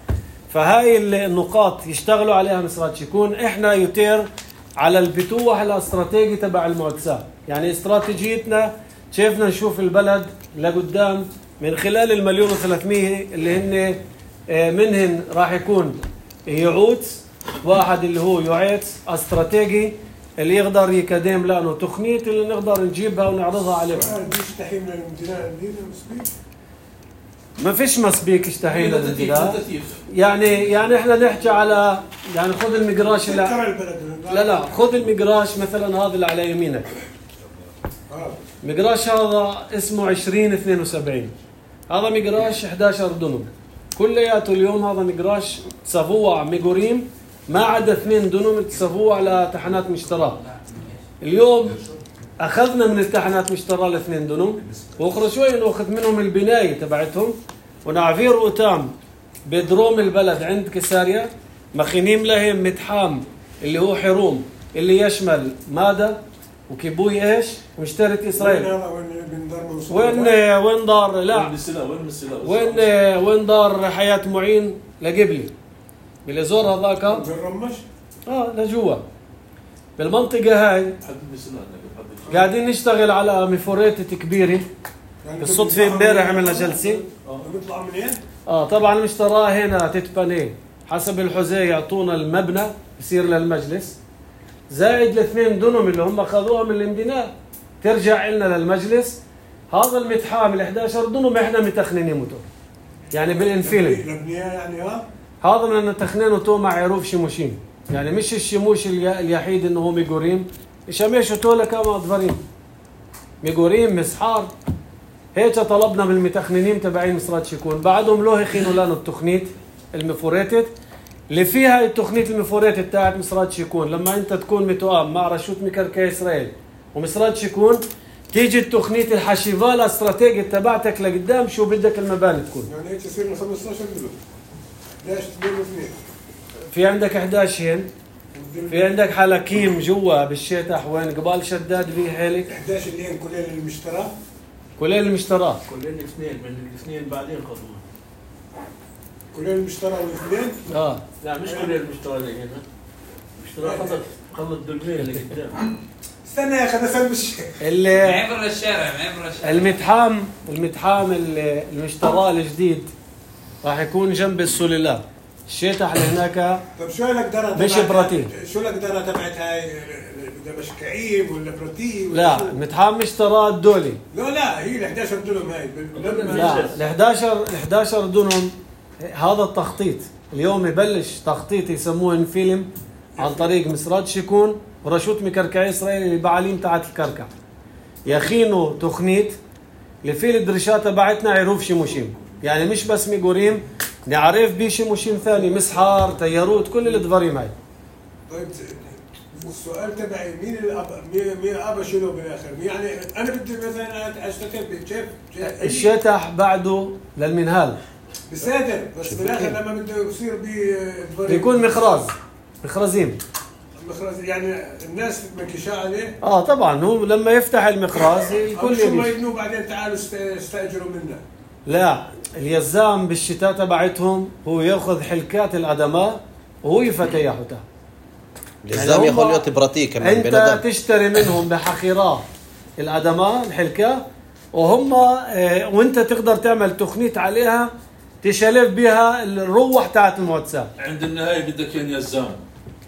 فهاي النقاط يشتغلوا عليها مصرات شيكون. احنا يتير على البتوح الاستراتيجي تبع المعدسات. يعني استراتيجيتنا شايفنا نشوف البلد لقدام من خلال المليون وثلاثمية اللي هن منهن راح يكون يعود واحد اللي هو يعيد استراتيجي اللي يقدر يقدم لنا تقنية اللي نقدر نجيبها ونعرضها عليهم. يستحيل من المدينة عندنا مسبيك؟ ما فيش مسبيك يستحيل للمدينة. يعني يعني احنا نحكي على يعني خذ المقراش لا لا لا خذ المقراش مثلا هذا اللي على يمينك. مقراش هذا اسمه عشرين اثنين وسبعين. هذا مقراش إحدى عشر دنم كلياته. اليوم هذا مقراش تسافوع ميغوريم ما عدا اثنين دنم تسافوع على تحنات مشتراه. اليوم اخذنا من التحنات مشتراه الاثنين دنم واخر شوي ناخذ منهم البنايه تبعتهم ونعفير قتام بدروم البلد عند كساريا مخينين لهم متحام اللي هو حروم اللي يشمل ماده وكيبوي ايش ومشترك اسرائيل. وين وين دار لا وين وين دار حياه معين لقبلي بالازور هذاك بالرمش اه لجوا بالمنطقه هاي قاعدين نشتغل على مفوريتة كبيره. بالصدفه امبارح عملنا جلسه. بيطلع منين؟ اه طبعا مشتراه هنا تتبني حسب الحزيه يعطونا المبنى يصير للمجلس زائد الاثنين دنم اللي هم اخذوها من المدينه ترجع لنا للمجلس. هذا المتحام ال إحدى عشر دنم احنا متخنينه موتور يعني بالانفيلم. يعني ها هذا من تخنينه تو مع عروف شيموشيم. يعني مش الشيموش اليحيد انه هو ميغوريم يشمشوا تولا كما دفرين ميغوريم مسحار. هيك طلبنا من المتخننين تبعين مصرات شيكون، بعدهم لو يخينوا لنا التخنيت المفوريتد اللي فيها التخنيت المفوريتد تاعت مصرات شيكون. لما انت تكون متوام مع رشوت مكركي اسرائيل ومصرات شيكون، تيجي التخنيت الحشيفه الاستراتيجي تبعتك لقدام شو بدك المباني تكون. يعني هيك يصير من خمسة عشر مليون. ليش اثنين واثنين؟ في عندك إحدى عشر هن، في عندك حلاكيم جوا بالشتح وين قبال شداد في حالك إحدى عشر اللي هن كلين المشترى. كلين المشترى كلين الاثنين من الاثنين بعدين خذوها. كلين المشترى والاثنين؟ اه لا مش كلين المشترى اللي هنا. المشترى خلط خلط دلمين اللي قدام. استنى يا اخي انا فاهم مش اللي معبر الشارع معبر الشارع. المتحام المتحام اللي المشترى الجديد راح يكون جنب السلالات. الشتح اللي هناك طب شو القدرة مش براتين. شو القدرة تبعت هاي دمشقيين ولا براتين؟ لا المتحام مشترى الدولي. لا لا هي ال إحدى عشر دولم هاي لما لا ال إحداشر ال إحداشر دونم هذا التخطيط اليوم يبلش تخطيط يسموه انفيلم عن طريق مصرات شيكون ورشوت مكركعي اسرائيل اللي بعاليم تاعت الكركع يخينوا تخنيت اللي فيه الدرشات تبعتنا عروف شيموشيم. يعني مش بس ميغوريم، نعرف بيه شيموشيم ثاني مسحار تياروت كل الدفاريم هاي. طيب السؤال تبعي مين الاب مين مين ابا شنو بالاخر؟ يعني انا بدي مثلا اشتغل كيف الشتح بعده للمنهال بصادر بس بالاخر لما بده يصير بي بيكون مخراز مخرزين مخرز يعني الناس مكشاء عليه. اه طبعا هو لما يفتح المخراز الكل شو ما يجي. يبنوا بعدين تعالوا استاجروا منا. لا اليزام بالشتاء تبعتهم هو ياخذ حلكات الادماء وهو يفتيحها. الزام ياخذ يوت براتي كمان انت بندم. تشتري منهم بحقيرة الادماء الحلكة وهم اه وانت تقدر تعمل تخنيت عليها تشلف بها الروح تاعت الموتسا. عند النهايه بدك ين يزام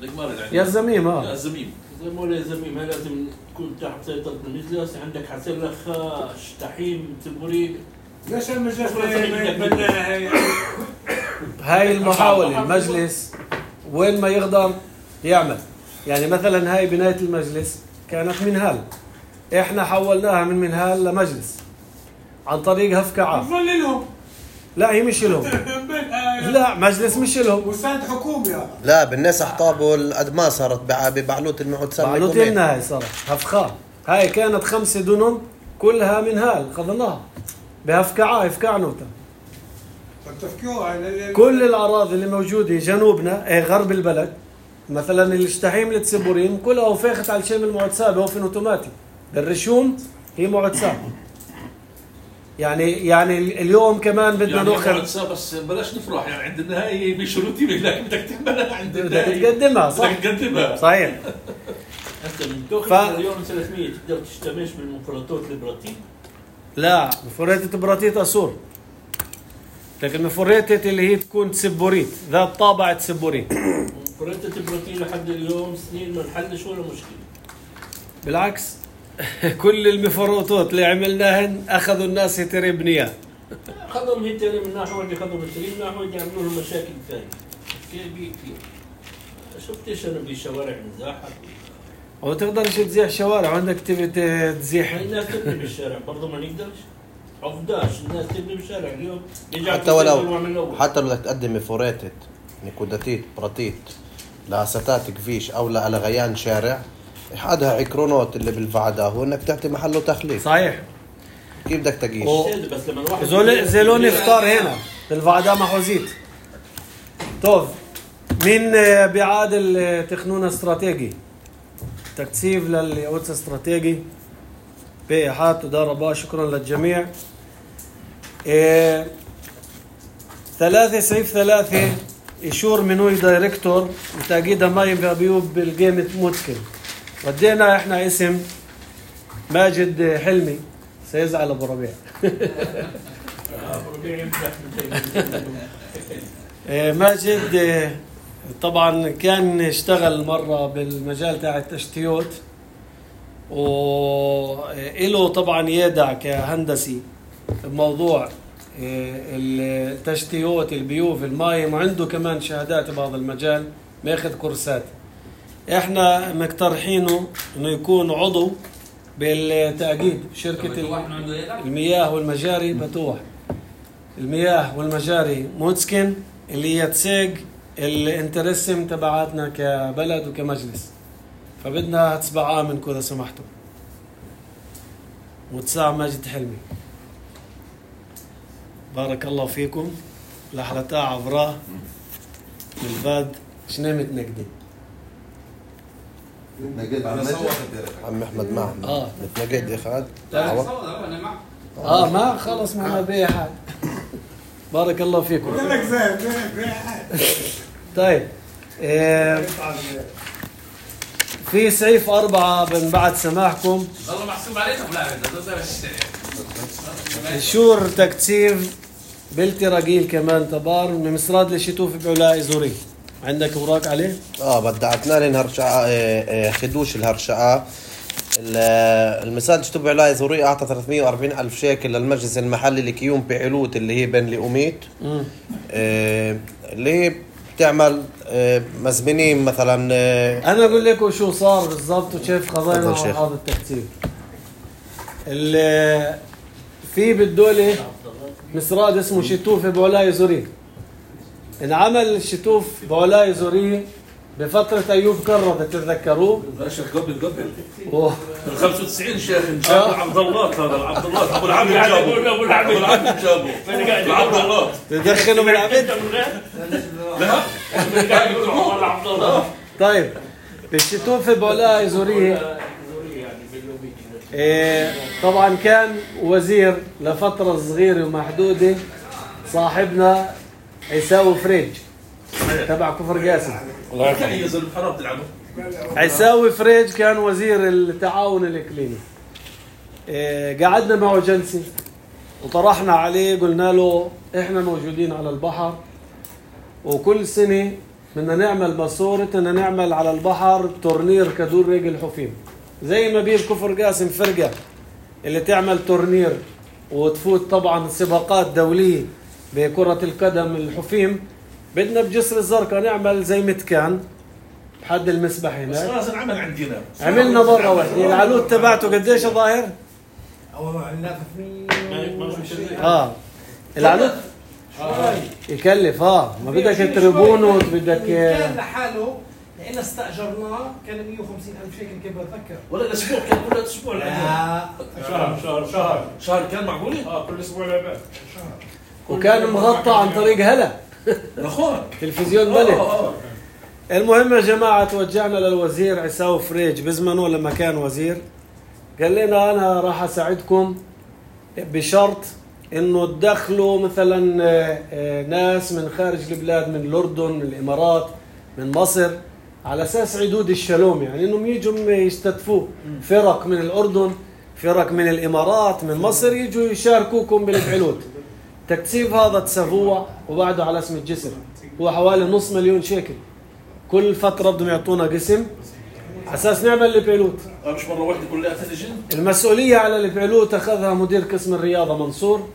لك ما رد عندي يزميم اه يزميم زي ما ولا زميم هاي لازم تكون تحت سيطرة المجلس. عندك حسين لخا شتحيم تبوري. ليش المجلس ما يتبنى هاي؟ هاي المحاولة المجلس وين ما يقدر يعمل. يعني مثلا هاي بناية المجلس كانت منهال، احنا حولناها من منهال لمجلس عن طريق هفكعة. بظل لهم. لا هي مش لهم. لا مجلس مش لهم. وساد حكومي هذا. لا بالناس احطابوا الادماء صارت بع- ببعلوت المعتسم. بعلوت لنا هاي صارت هفخاء. هاي كانت خمسة دنم كلها منهال خذناها بهفكعة هفكعنوتا. كل الأراضي اللي موجودة جنوبنا اي غرب البلد مثلا الاشتحيم للتسبوريم كلها وفاخت على الشام المعتسى بوفن اوتوماتي. الرشوم هي معتسى. يعني يعني اليوم كمان بدنا يعني ناخذ بس بلاش نفرح يعني عند النهايه بشروطي لكن بدك تعملها عند بدك النهايه تقدمها صح. بدك تقدمها صحيح. انت من تاخذ ف... مليون وثلاثمية تقدر تشتمش بالمفردات البراتين. لا مفريتة براتيت أسور، لكن مفريتة اللي هي تكون تسبوريت ذات طابع تسبوريت. مفردات البراتين لحد اليوم سنين ما نحلش ولا مشكلة. بالعكس كل المفروضات اللي عملناهن أخذوا الناس يتربنيها. خذهم هيتري من ناحية واحدة خذهم هيتري من ناحية واحدة يعملوا لهم مشاكل ثانية. كيف كثير. شفتش أنا بشوارع مزاحة. وتقدرش تزيح شوارع وعندك تبي تزيح. الناس تبني بالشارع برضه ما نقدرش. عفداش الناس تبني بالشارع اليوم. حتى ولو حتى لو بدك تقدم فوريتت نكوداتيت براتيت لستات كفيش او لغيان شارع حدها عكرونات اللي بالفعدة هو انك تعطي محله تخليف. صحيح. كيف بدك تقيش؟ بس لما الواحد زول زلون افطار هنا بالفعدة محوزيت. طيب مين بيعاد التخنون استراتيجي تكثيف لليعود استراتيجي بإحاطة تدار رباه. شكرا للجميع. إيه ثلاثة سيف ثلاثة إشور منوي دايركتور وتأكيد مايم بأبيوب بالجيمة متكن. ودينا إحنا اسم ماجد حلمي سيزعل أبو ربيع. إيه ماجد إيه طبعا كان اشتغل مرة بالمجال تاع التشتيوت وإله طبعا يدع كهندسي بموضوع التشتيوت البيوف الماي وعنده كمان شهادات بهذا المجال ماخذ كورسات. احنا مقترحينه انه يكون عضو بالتأكيد شركة المياه والمجاري بتوح المياه والمجاري موتسكن اللي هي تساق الانترسم تبعاتنا كبلد وكمجلس. فبدنا تسبعة منكم إذا سمحتوا. متساع ماجد حلمي. بارك الله فيكم. لحلتا عبراه بالفاد شنامة نقدي. عم احمد معه اه نتنقد يا خالد. اه ما خلص معنا بأي حال. بارك الله فيكم. طيب إيه في سيف أربعة من بعد سماحكم. والله محسوب علينا ولا الشور تكتيف بلتي رجيل كمان تبار من مصراد لشتوف بعلاء زوري. عندك اوراق عليه؟ اه بدعتنا لنا هرشعة خدوش الهرشعة. المساد شتوب علاء زوري اعطى ثلاثمية وأربعين ألف شيكل للمجلس المحلي لكيوم بعلوت اللي هي بين لأميت آه اللي هي بتعمل آه مزمنين مثلا. آه انا اقول لكم شو صار بالضبط وكيف خضينا هذا التكتيف. اللي في بالدولة مصراد اسمه شتوف بعلاء زوري. انعمل الشتوف بعلاء زوري بفترة أيوب كرة تتذكروه؟ شيخ قبل قبل أوه. ال خمسة وتسعين شيخ جاب عبد الله هذا عبد الله أبو العبد جابه أبو العبد جابه عبد الله تدخلوا بالعبد؟ لا عبد الله. طيب الشتوف بعلاء زوري إيه طبعا كان وزير لفترة صغيرة ومحدودة صاحبنا عيساوي فريج تبع كفر قاسم. الله يرحمه حرام تلعبه. عيساوي فريج كان وزير التعاون الإقليمي. إيه قعدنا معه جلسة وطرحنا عليه قلنا له احنا موجودين على البحر وكل سنة بدنا نعمل ماسورة بدنا نعمل على البحر تورنير كدور رجل حفيم زي ما بيه كفر قاسم فرقة اللي تعمل تورنير وتفوت طبعا سباقات دولية بكرة القدم الحفيم. بدنا بجسر الزرقاء نعمل زي متكان بحد المسبح هناك. بس لازم عمل عندنا. عملنا برا وحدة. العلوت تبعته قديش ظاهر؟ اه العلوت يكلف اه ما بدك تربونه بدك كان لحاله لأن استأجرناه كان مية وخمسين ألف شيكل كيف بتذكر. ولا الأسبوع كان كل أسبوع لا شهر شهر شهر شهر كان معقولة؟ اه كل أسبوع لعبات. وكان مغطى عن طريق هلا أخوان تلفزيون بلد. المهم يا جماعة توجهنا للوزير عيساوي فريج بزمنه لما كان وزير قال لنا أنا راح أساعدكم بشرط إنه تدخلوا مثلا ناس من خارج البلاد من الأردن من الإمارات من مصر على أساس عدود الشلوم يعني إنهم يجوا يستضيفوا فرق من الأردن فرق من الإمارات من مصر يجوا يشاركوكم بالبعلوت. تكتيف هذا تسووه وبعده على اسم الجسر هو حوالي نص مليون شيكل. كل فترة بدهم يعطونا قسم أساس نعمل البعلوت. مش مرة واحدة كلها تنجن. المسؤولية على البعلوت أخذها مدير قسم الرياضة منصور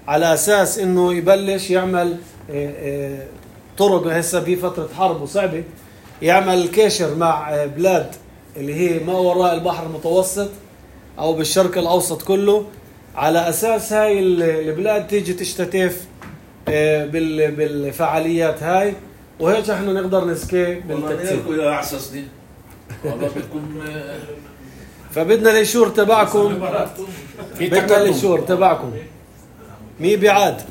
على أساس إنه يبلش يعمل طرق هسه بفترة حرب وصعبة يعمل كاشر مع بلاد اللي هي ما وراء البحر المتوسط أو بالشرق الأوسط كله على أساس هاي البلاد تيجي تشتتف بالفعاليات هاي وهيك احنا نقدر نسكي بالتكتيك. والله أعسس دي والله بدكم فبدنا الإشور تبعكم بدنا الإشور تبعكم مي بعاد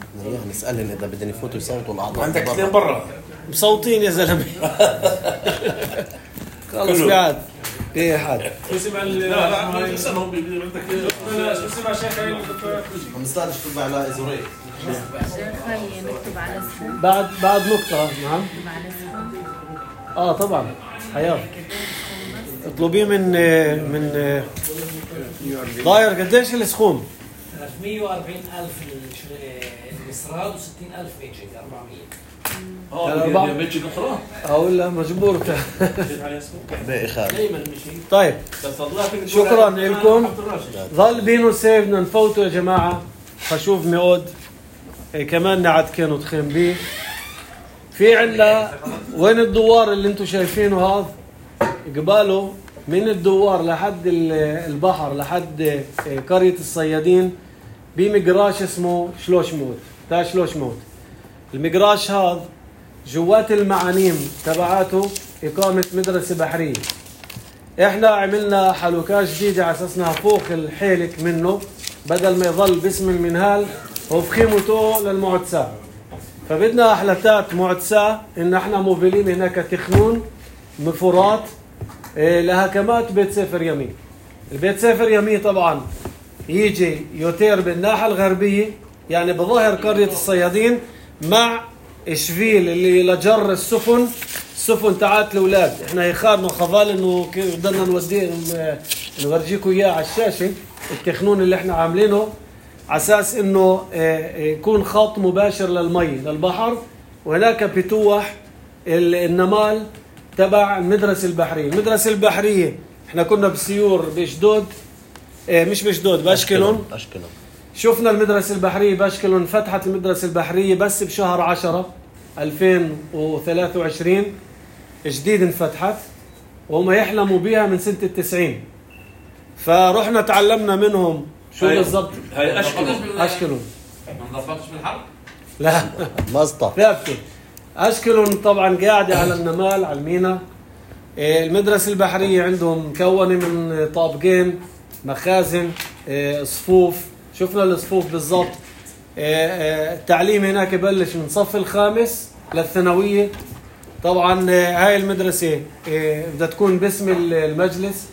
نسألهم إذا بدهم يفوتوا يصوتوا الأعضاء. عندك اثنين برا مصوتين يا زلمة. خلص بعاد ايه حد اسمع لا لا اسمهم بدك اسمع شيخ مستعد شتوب علاء زوري نكتب على اسمه بعد بعد نقطة. نعم على اسمه اه طبعا حياة اطلبيه من من ضاير قديش السخوم؟ ثلاثمية وأربعين ألف المسراد وستين ألف ميجيك أربعمية. اه ميجيك أخرى اقول له مجبور باقي خالد. طيب شكرا لكم. ظل بينو سيف بدنا نفوتوا يا جماعة. خشوف ميود إيه كمان نعد كانوا تخيم بيه. في عنا وين الدوار اللي انتم شايفينه هذا قباله من الدوار لحد البحر لحد قرية الصيادين بمقراش اسمه شلوشموت تا شلوشموت. المقراش هذا جوات المعانيم تبعاته إقامة مدرسة بحرية. إحنا عملنا حلوكات جديدة على أساسنا فوق الحيلك منه بدل ما يظل باسم المنهال وبخيمته للمعتساه. فبدنا أحلتات معتساه إن إحنا موفلين هناك تخنون مفورات لهكمات بيت سفر يمي. البيت سفر يمي طبعا يجي يوتير بالناحية الغربية يعني بظاهر قرية الصيادين مع شفيل اللي لجر السفن السفن تاعت الاولاد. احنا يخارنا خضال انه بدنا نوديه نورجيكم اياه على الشاشه التخنون اللي احنا عاملينه على اساس انه يكون خط مباشر للمي للبحر. وهناك بتوح النمال تبع المدرسه البحريه. المدرسه البحريه احنا كنا بسيور بشدود مش بشدود باشكلون أشكلون. شفنا المدرسة البحرية باشكلون. فتحت المدرسة البحرية بس بشهر عشرة ألفين وثلاثة وعشرين جديد انفتحت وهم يحلموا بها من سنة التسعين. فرحنا تعلمنا منهم شو بالضبط. هاي أشكلون. أشكلون ما انضبطتش بالحرب؟ لا مزطة ثابتة. أشكلون طبعا قاعدة على النمال على المينا. المدرسة البحرية عندهم مكونة من طابقين مخازن صفوف. شفنا الصفوف بالضبط. التعليم هناك يبلش من صف الخامس للثانوية. طبعا هاي المدرسة بدها تكون باسم المجلس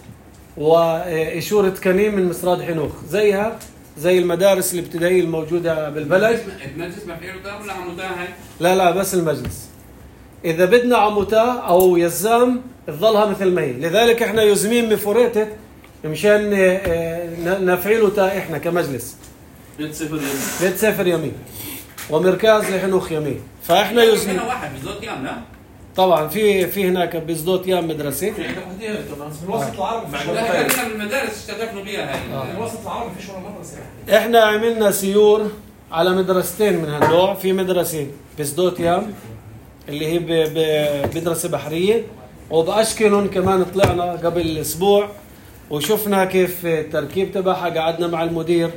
وإشورة كنيم من مسراد حنوخ زيها زي المدارس الابتدائية الموجودة بالبلد. المجلس ما فيه رتاب ولا عمودة هاي؟ لا لا بس المجلس. إذا بدنا عموتا أو يزام تظلها مثل ما هي. لذلك احنا يزمين مفوريتت مشان نفعله تا احنا كمجلس بيت سفر يمين بيت سفر يمين ومركز لحنوخ يمين. فاحنا يزمين هنا واحد بزود يام لا؟ طبعا في في هناك بزدوت يام مدرسه. في عندك وحدين كمان في الوسط العربي فيش ولا لا مدرسة. كان المدارس اشتغلوا بيها هاي. في الوسط العربي فيش ولا مدرسة. احنا عملنا سيور على مدرستين من هالنوع. في مدرسه بزدوت يام اللي هي مدرسه بحريه وباشكلون كمان طلعنا قبل اسبوع وشفنا كيف التركيب تبعها. قعدنا مع المدير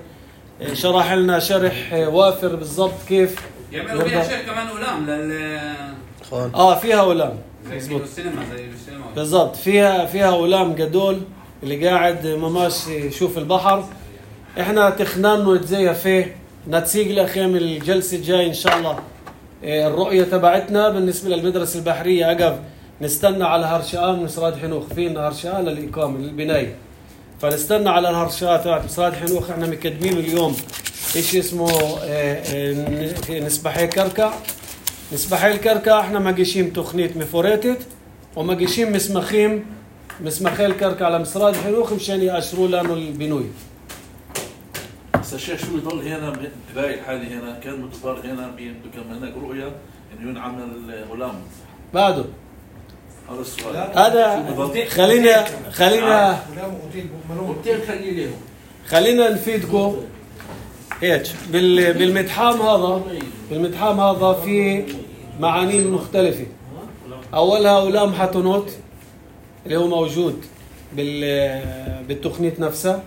شرح لنا شرح وافر بالضبط كيف يعملوا بيها شيء كمان أولام لل اه فيها أولام زي السينما زي السينما بالضبط. فيها فيها أولام قدول اللي قاعد مماش يشوف البحر. احنا تخنان نتزيها فيه نتسيق لأخيام الجلسة الجاي إن شاء الله. الرؤية تبعتنا بالنسبة للمدرسة البحرية عقب نستنى على هرشاء من مسراد حنوخ. فينا هرشاء للإقامة للبناية فنستنى على الهرشاء تبعت مسراد حنوخ. احنا مقدمين اليوم ايش اسمه نسبحي كركع. نسبحي الكركع احنا ماقيشين تخنيت مفوريتت وماقيشين مسمخيم مسمخي الكركع على مسراد حنوخ مشان يأشروا لانه البنوي. بس الشيخ شو يضل هنا برايك حالي هنا كان متفار هنا كان هناك رؤية انه ينعمل غلام بعده. هذا السؤال. هذا خلينا خلينا اوتيل خليه لهم. خلينا نفيدكم هيك بالمتحام هذا. بالمتحام هذا في معاني مختلفة. أولها أولام حتنوت اللي هو موجود بالتقنية نفسها.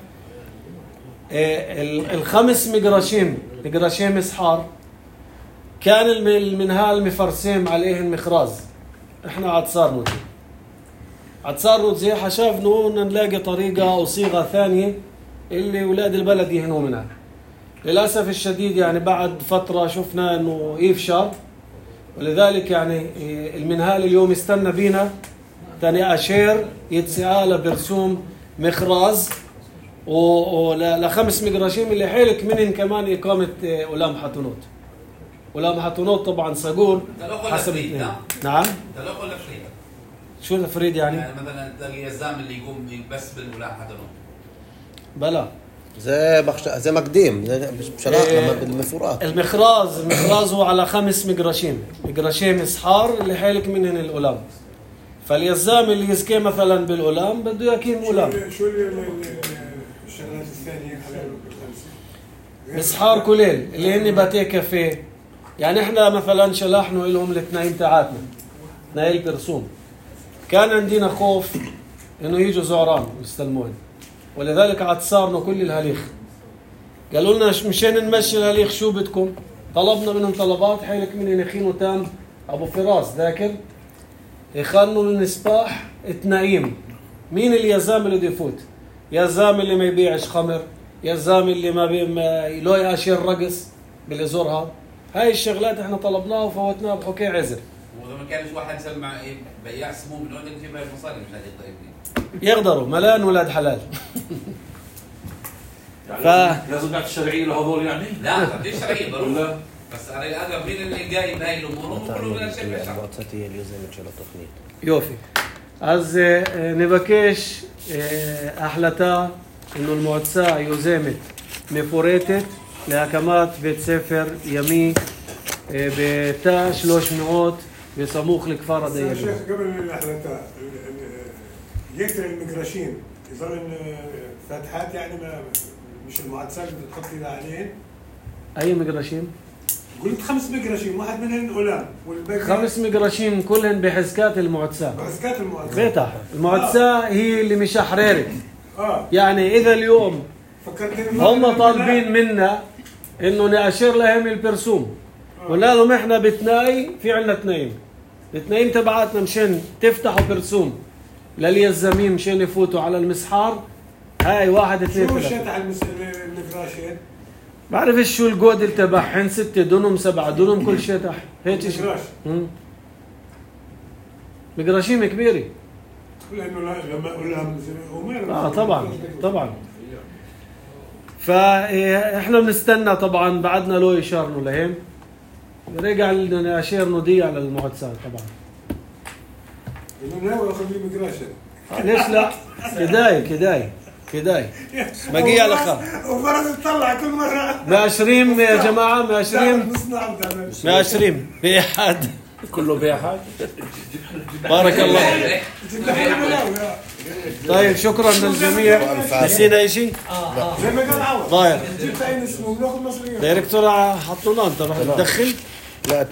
الخمس مقراشيم مقراشيم إسحار كان المنهال مفرسيم عليهم مخراز. احنا عاد صار نوتي عاد صار نوتي حشافنو نلاقي طريقة أو صيغة ثانية اللي ولاد البلد يهنوا منها. للأسف الشديد يعني بعد فترة شفنا انه يفشل ولذلك يعني المنهال اليوم استنى بينا تاني أشير يتسعى برسوم مخراز ولخمس مقراشيم اللي حيلك منهم كمان إقامة أولام حتنوت. أولام حتنوت طبعا صقور حسب الاثنين. نعم تلقوا ولا فريد؟ شو الفريد يعني؟ يعني مثلا تلاقي يزام اللي يقوم بس بالأولام حتنوت بلا زي بخش... زي مقديم بشلاط لما بالمفورات. المخراز المخراز هو على خمس مقراشيم مقراشيم إسحار اللي حيلك منهن الأولام. فاليزام اللي يزكي مثلا بالأولام بده يكيم أولام. شو الشغلات الثانية إسحار كليل اللي هن باتيه كافيه. يعني احنا مثلا شلحنا لهم الاثنين تاعاتنا نايل برسوم. كان عندنا خوف إنه يجوا زعران يستلمون، ولذلك عاد صارنا كل الهليخ. قالوا لنا مشان نمشي الهليخ شو بدكم؟ طلبنا منهم طلبات. حيلك من نخين تام أبو فراس ذاكر يخلوا النسباح التنايم. مين اليزام اللي بده يفوت؟ يزام اللي ما يبيعش خمر، يزام اللي ما بي ما له ياشر رقص بالازور هذا. هاي الشغلات احنا طلبناها وفوتناها بحكي عزر. واذا ما كانش واحد سمع إيه بياع سموم من وين يجيب هاي المصاري مش هذه الطيبين يقدروا ملان ولاد حلال. يعني ف... لازم نعطي الشرعيه لهذول يعني؟ لا ما فيش شرعيه ضروري. ولا بس على الاغلب مين اللي جايب هاي الامور هم كلهم من الشركه الشعب. يوفي אז נבקש החלטה إنه المועצה יוזמת מפורטת להקמת בית ספר ימי בתא שלוש מאות בסמוך לכפר بس يا הדייגים. شيخ قبل الحلقات يكتر المجراشين يظل فاتحات يعني ما مش المعدسات اللي بتحط ايدها عليهن. أي مجرشين؟ قلت خمس مجراشين واحد منهن أولام والباقي خمس مجرشين كلهن بحزكات المועצה. بحزكات المعدسات. بيتح المועצה هي اللي مشحررت. اه يعني إذا اليوم فكرتني هم طالبين منا إنه نأشر لهم البرسوم. قلنا لهم إحنا بتناي في عنا تنايم. التنايم تبعاتنا مشان تفتحوا برسوم لليزامين مشان يفوتوا على المسحار. هاي واحد اثنين شو ثلاثة. الشتح المجراشين؟ بعرفش شو الجودل تبعهن ستة دنم سبعة دنم كل شتح هيك شيء. مجراش. مجراشين كبيرة. لأنه لما أولام وما آه طبعا طبعا. فإحنا بنستنى طبعا بعدنا لو يشارنوا لهم. رجع لنا نأشير نضيع على المعدسات طبعا. إنه ناوي أخذ لي مجراشين. ليش لا؟ كداي كداي كداي بقي على خا وفرس تطلع كل مرة ماشرين يا جماعة ماشرين نصنع ماشرين بأحد كله بأحد. بارك الله. طيب شكرا للجميع. نسينا أي شيء؟ زي ما قال عوض ضايع جبت أي اسمه بناخذ مصريين. دايركتور حطونا أنت رح تدخل لا أنت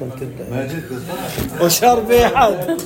وشار بأحد.